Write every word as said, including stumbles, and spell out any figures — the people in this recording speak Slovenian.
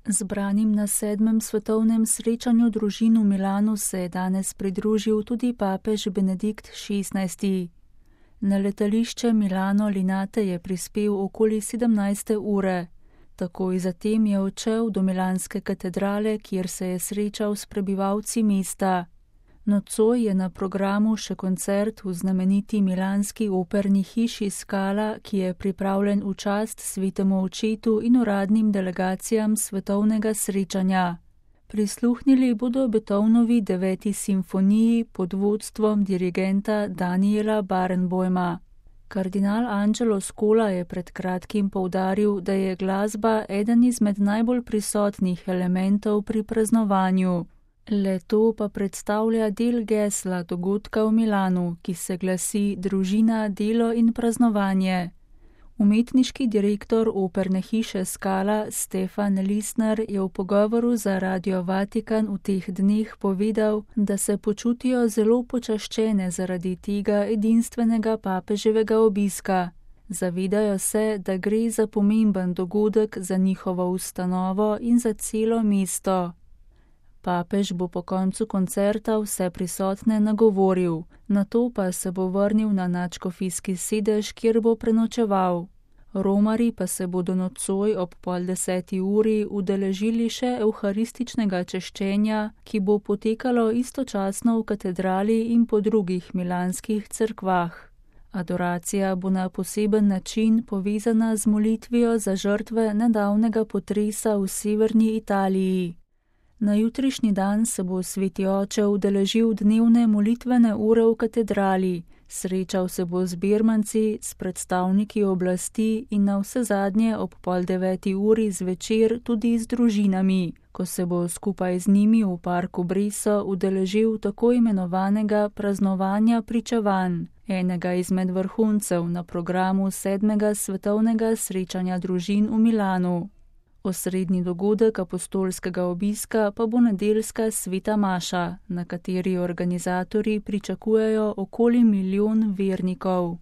Zbranim na sedmem svetovnem srečanju družin v Milanu se je danes pridružil tudi papež Benedikt šestnajsti. Na letališče Milano Linate je prispel okoli sedemnajste ure. Takoj zatem je odšel do milanske katedrale, kjer se je srečal s prebivalci mesta. Nocoj je na programu še koncert v znameniti milanski operni hiši Scala, ki je pripravljen v čast svetemu očetu in uradnim delegacijam svetovnega srečanja. Prisluhnili bodo Beethovnovi deveti simfoniji pod vodstvom dirigenta Daniela Barenboima. Kardinal Angelo Scola je pred kratkim poudaril, da je glasba eden izmed najbolj prisotnih elementov pri praznovanju. Le to pa predstavlja del gesla dogodka v Milanu, ki se glasi Družina, delo in praznovanje. Umetniški direktor operne hiše Scala Stefan Lisner je v pogovoru za Radio Vatikan v teh dneh povedal, da se počutijo zelo počaščene zaradi tega edinstvenega papeževega obiska. Zavedajo se, da gre za pomemben dogodek za njihovo ustanovo in za celo mesto. Papež bo po koncu koncerta vse prisotne nagovoril, nato pa se bo vrnil na nadškofijski sedež, kjer bo prenočeval. Romari pa se bodo nocoj ob pol deseti uri udeležili še evharističnega češčenja, ki bo potekalo istočasno v katedrali in po drugih milanskih cerkvah. Adoracija bo na poseben način povezana z molitvijo za žrtve nedavnega potresa v severni Italiji. Na jutrišnji dan se bo sveti oče udeležil dnevne molitvene ure v katedrali, srečal se bo z birmanci, s predstavniki oblasti in na vse zadnje ob pol deveti uri zvečer tudi z družinami, ko se bo skupaj z njimi v parku Breso udeležil tako imenovanega praznovanja pričevanj, enega izmed vrhuncev na programu sedmega svetovnega srečanja družin v Milanu. Osrednji dogodek apostolskega obiska pa bo nedeljska sveta maša, na kateri organizatorji pričakujejo okoli milijon vernikov.